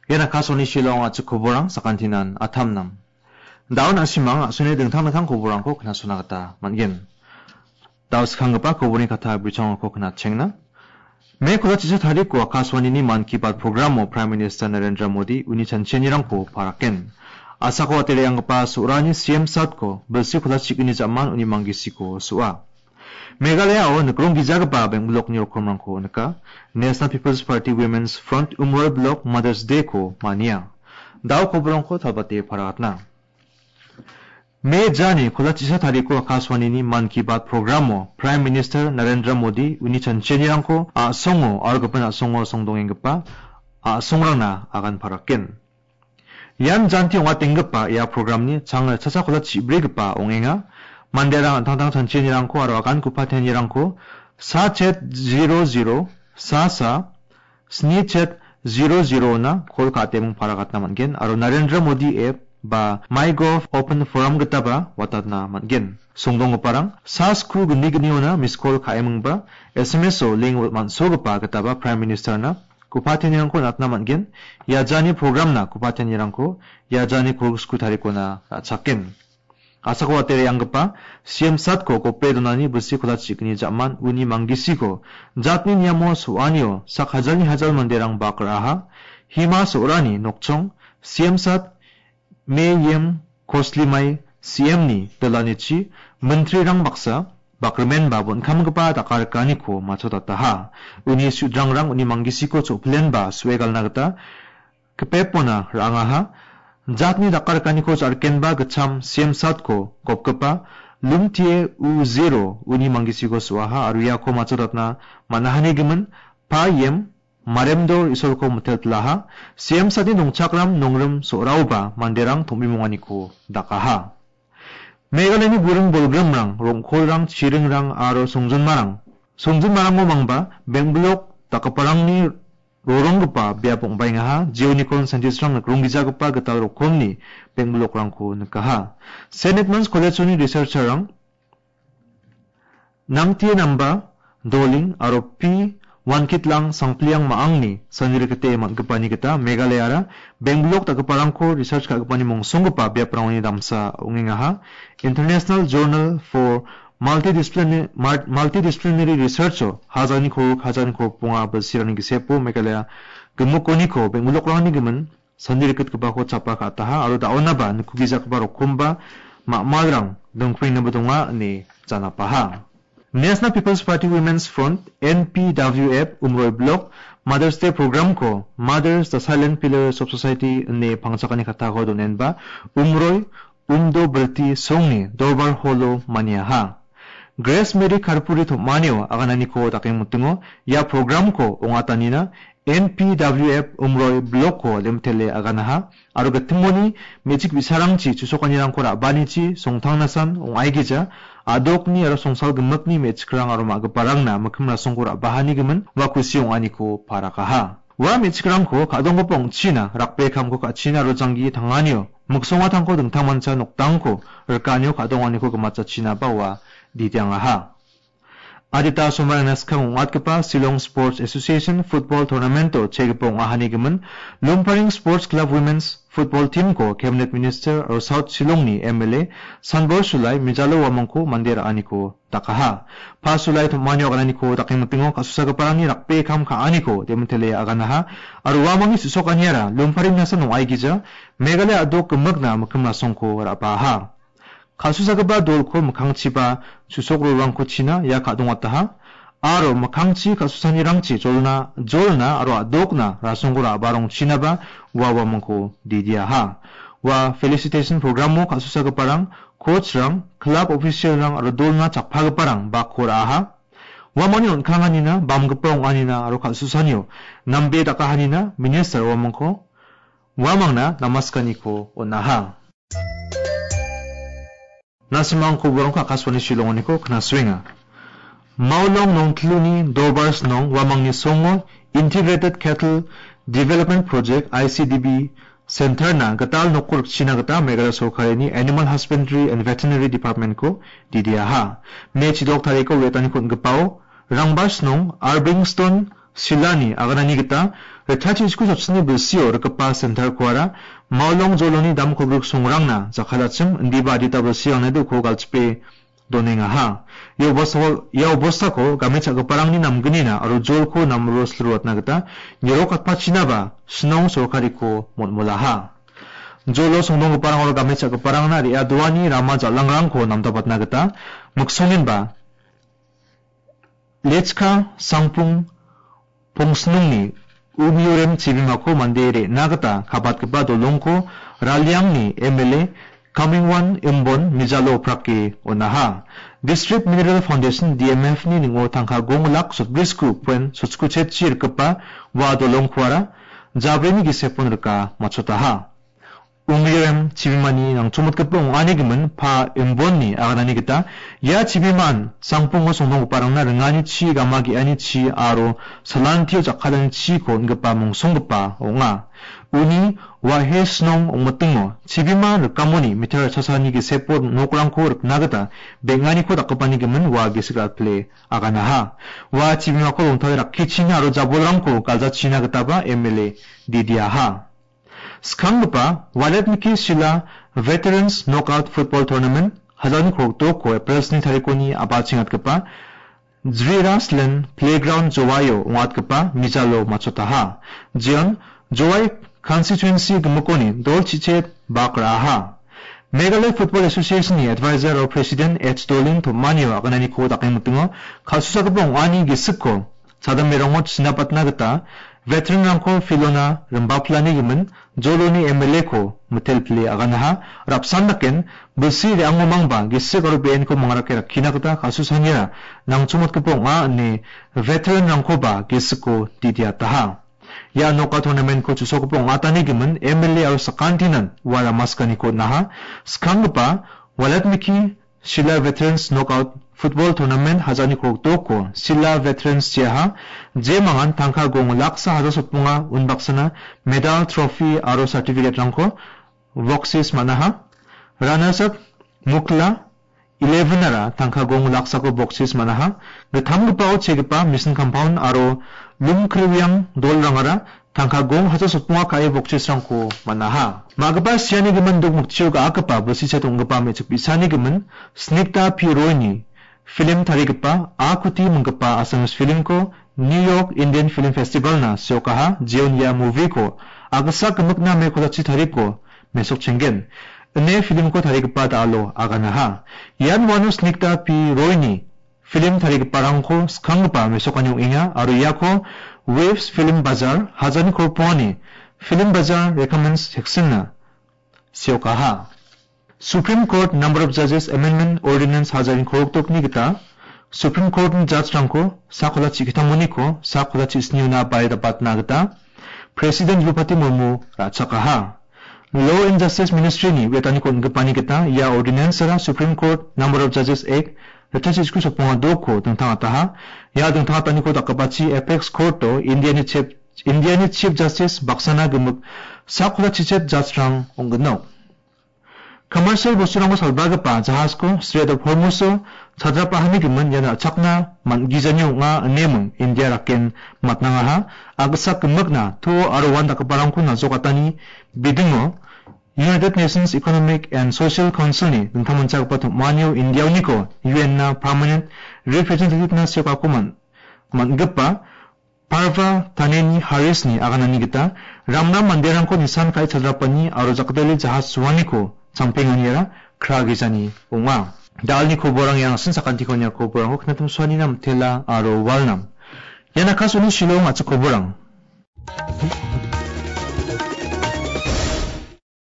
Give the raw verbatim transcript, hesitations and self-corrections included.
Ian Akashvani Shillong a·chik koborang sakantinan atamnang. Daun a·simang a·songni dingtang dingtang koborangko knasona gita man·gen. Dao skanggipa koborni kata bichongako knatchengna. Me kola chisa tariko Akashvanini Mann Ki Baat programo Prime Minister Narendra Modi uni chanchianirangko paraken. Asako atereanggipa so·rani C M satko bilsi kola chigni jaman uni manggisiko so·a. Meghalayao nikrong gijagipa beng·bilokni rokomrangko nika. National People's Party Women's Front Umroi Block Mother's Day-ko mania. Dao koborongko talbate paragatna. Me jani kola chisa tariko Akashvanini Mann Ki Baat programo Prime Minister Narendra Modi uni chanchianirangko a·songo aro gipin a·songo songdongenggipa a·songrangna agan paraken. Ian janti ong·atenggipa ia programni chang ritchasa kola chibrigipa ong·enga. Manderang an·tangtang chanchianirangko aro agan kupatianirangko sa chet zero zero sa sa sni chet zero zero-na kol ka·ateming paragatna man·gen aro Narendra Modi app ba MyGov Open Forum gitaba watatna man·gen. Songdonggiparang sa skru gni gniona miss call ka·emingba S M S-o link man·sogipa gitaba Prime Minister-na kupatianirangko natna man·gen. Ia jani programna kupatianirangko ia jani kolgriksku tarikona ra·chaken. Asako atereanggipa C M satko gope donani bilsi kola chigni jaman uni manggisiko jatni niamo so·anio sak hajalni hajal manderang bak ra·aha. Hima so·rani nokchong C M sat Me Yem Koslimai C M-ni dilanichi mintrirang baksa bakrimenba bon·kamgipa dakarikaniko matchotataha. Uni sudrangrang uni manggisiko cho·pilenba so·e galna gita kipepona ra·angaha. Jatni dakarikaniko ja·rikenba gitcham C M satko gopgipa Lumtie U Zero uni manggisiko so·aha aro iako matchotatna man·ahanigimin Pa Yem Maremdor Isolko miteltilaha. C M satni nongchakram nongrim so·raoba manderang tom·bimonganiko dakaha. Meghalayani buring bolgrimrang, rong·kolrang, chiringrang aro songjinmarang. Songjinmarango mangba beng·bilok dakgiparangni roronggipa biap ong·baengaha, jeonikon scientist-rang nikronggijagipa gital rokomni beng·bilokrangko nikaha. Saint Edmund's College-oni researcher-rang Nangtie Namba, Doling aro P Wankitlang Sangpliang ma·angni sanirikite man·gipani gita Meghalayara beng·bilok dakgiparangko research ka·gipani mongsonggipa biaprangoni damsa ong·engaha. International Journal for Multidisciplin-, Mar-, Multidisciplinary Research-o hajalni kolgrikko hajalni kolgrikbonga bilsirangni gisepo Meghalaya gimikoniko beng·bilokrangni gimin sandirikgipako chapa ka·ataha aro da·onaba nikkugijagipa rokomba ma·malrang dongprengnaba donga ine janapaha. National People's Party Women's Front, N P W F, Umroi Block, Mother's Day Programko Mothers, the Silent Pillars of Society ine pangchakani katako donenba, Umroi, Umdo Bilti Songni Dorbar Holo maniaha. Grace Mary Karpuri tom·anio agananiko dakengmitingo ia programko ong·atanina N P W F Umroi Blocko lemtele aganaha aro gitimoni me·chik bi·sarangchi chusokanirangko ra·banichi songtangnasan ong·aigija a·dokni aro songsal gimikni me·chikrang aro ma·giparangna mikkim rasongko ra·bahanigimin ua kusi ong·aniko parakaha. Ua me·chikrangko ka·donggipa ong·china rakbe kamko ka·china aro janggi tanganio miksongatangko dingtangmancha noktangko rikanio ka·donganiko gimatjachinaba ua didiangaha. Adita somarangna skang ong·atgipa Shillong Sports Association Football Tournamento chegipa ong·ahanigimin Lumparing Sports Club Women's Football Teamko Cabinet Minister aro South Shillongni M L A Sanbor Sulai mijalo uamangko mande ra·aniko dakaha. Pasulai tom·anio agananiko dakengmitingo ka·susagiparangni rakbe kam ka·aniko Demon Tele aganaha. Aro uamangni su·sokaniara Lumparing nasa nong·aigija Meghalaya a·dok gimikna mikkim rasongko ra·baha. Ka·susagipa dolko mikkangchiba susokrorangko china ia ka·dongataha. Aro mikkangchi ka·susanirangchi jolna, jolna aro a·dokna rasongko ra·barongchinaba ua uamangko didiaha. Ua felicitation programo ka·susagiparang coachrang, club officialrang aro dolna chakpagiparang bakko ra·aha. Uamangni on·kanganina, bamgipa ong·anina aro kal·susanio nambe dakahanina minister uamangko, uamangna namaskaniko on·aha. Nasimang koborangko Akashvani Shillongoniko knasuenga. Maulong Nongtluni Dorbar Snong uamangni songo Integrated Cattle Development Project, I C D B, Center-na gital nokko rikchina gita Meghalaya sorkarini Animal Husbandry and Veterinary Department-ko didiaha. Me chidok tariko re·taniko on·gipao Rangbar Snong, Arbingstone Silani aganani gita retachi isku chopsini bilsio rikgipa sentarkoara Maolong joloni damkolgrik songrangna jakkalachim indiba adita bilsirangna uko galchipe donengaha. Ia obostako, ia obostako game cha·giparangni namgnina aro jolko namro silruatna gita nirok atpachinaba Shnong sorkariko motmolaha. Jolo songdonggiparang aro game cha·giparangna re·adoani rama jal·angrangko namdabatna gita miksongenba Lechka Sangpung Pongsnungni Umiorem chibimako mande re·na gita kabatgipa dolongko Raliangni M L A Kamingwan Imbon mijalo oprake on·aha. District Mineral Foundation, D M F ni ning·o tangka gong lak sotbrisku poen sotskochetchi rikgipa ua dolongkoara jabrini gisepon rika matchotaha. Umiorem chibimani nangchomotgipa ong·ani gimin Pa Imbonni aganani gita ia chibiman sangpungo songdonggiparangna ringani chi, gama ge·ani chi aro salantio jakkalani chiko on·gipa mongsonggipa ong·a. Uni Wahe Shnong ong·mitingo chibima rikamoni meter chasani gisepo nokrangko rikna gita beng·aniko dakgipani gimin ua gisik ra·pile aganaha. Ua chibimako rongtale rakkichina aro jabolrangko galjachina gitaba M L A didiaha. Skanggipa Waletmiki Shila Veterans Knockout Football Tournament hajalni kolgrikdoko April sni tarikoni a·bachengatgipa Jriraslen Playground Jowaio ong·atgipa mijalo matchotaha. Jeon Jowai constituency gimikoni dol chichet bak ra·aha. Meghalaya Football Association-ni advisor aro president H Dolin tom·anio agananiko dakengmitingo kal·susagipa ong·ani gisikko chadamberango chinapatna gita veteran-rangko filona rimbaplani gimin Joloni M L A-ko mitelpile aganaha. Rapsan daken bilsi re·angomangba gisik aro be·enko mangrake rakkina gita kal·susanira nangchomotgipa ong·a ine veteran-rangkoba gisikko didiataha. Ia knockout tournament-ko chu·sokgipa ong·atani gimin M L A aro sakantinan ua ramaskaniko on·aha. Skanggipa Walatmiki Shila Veterans Knockout Football Tournament hajalni kolgrikdoko Shila Veterans jeaha, jemangan tangka gong laksa hajar sotbonga unbaksana medal, trophy aro certificate-rangko boksis man·aha. Runners up Mukla eleven-ara tangka gong laksako boksis man·aha. Gittamgipao chegipa Mission Compound aro Lumkriwiang dolrangara tangka gong hajar sotbonga ka·e boksisrangko man·aha. Ma·gipa siani gimin Dokmoktio ga·akgipa bilsi chet ong·gipa me·chik bi·sani gimin Snikta P Roy-ni film tarigipa A Kuti minggipa Assamese film-ko New York Indian Film Festival-na seokaha, jeon ia movie-ko agisa gimikna me kolachi tariko mesokchenggen ine film-ko tarigipa da·alo aganaha. Ian uano Snikta P Roy-ni film tarigiparangko skanggipa mesokani ong·enga aro iako Waves Film Bazar, hajalni kolgrikbongani Film Bazar Recommends section-na seokaha. Supreme Court Number of Judges Amendment Ordinance hajalni kolgrikdokni gita Supreme Court-ni judge-rangko sak kolachi gitamoniko sak kolachi sniona bae dapatna gita President Droupadi Murmu ra·chakaha. Law and Justice Ministry-ni wetaniko on·gipani gita ia ordinance-ara Supreme Court Number of Judges Act retachi isku sotbonga dokko dingtangataha. Ia dingtangataniko dakgipachi Apex Court-o Indiani Chief, Indiani Chief Justice baksana gimik sak kolachi chet judge-rang ong·ginok. Commercial bosturangko salbagipa jahasko Strait of Hormuz-o chadrapahani gimin ian ra·chakna man·gijani ong·a ineming India raken matnangaha. Agisa gimikna to aro uan dakgiparangko najokatani bidingo United Nations Economic and Social Council-ni dingtangmanchagipa tom·anio India-oniko U N-na permanent representative-na seokako man-, man·gipa Parva Taneni Harris-ni aganani gita ramram manderangko nisan ka·e chadrapani aro jakdele jahas suaniko champenganiara kragijani ong·a. Da·alni koborang iarangsin, sakantiko nia koborangko knatim suanina mitela aro walnam. Ian Akashvani Shillong a·chik koborang.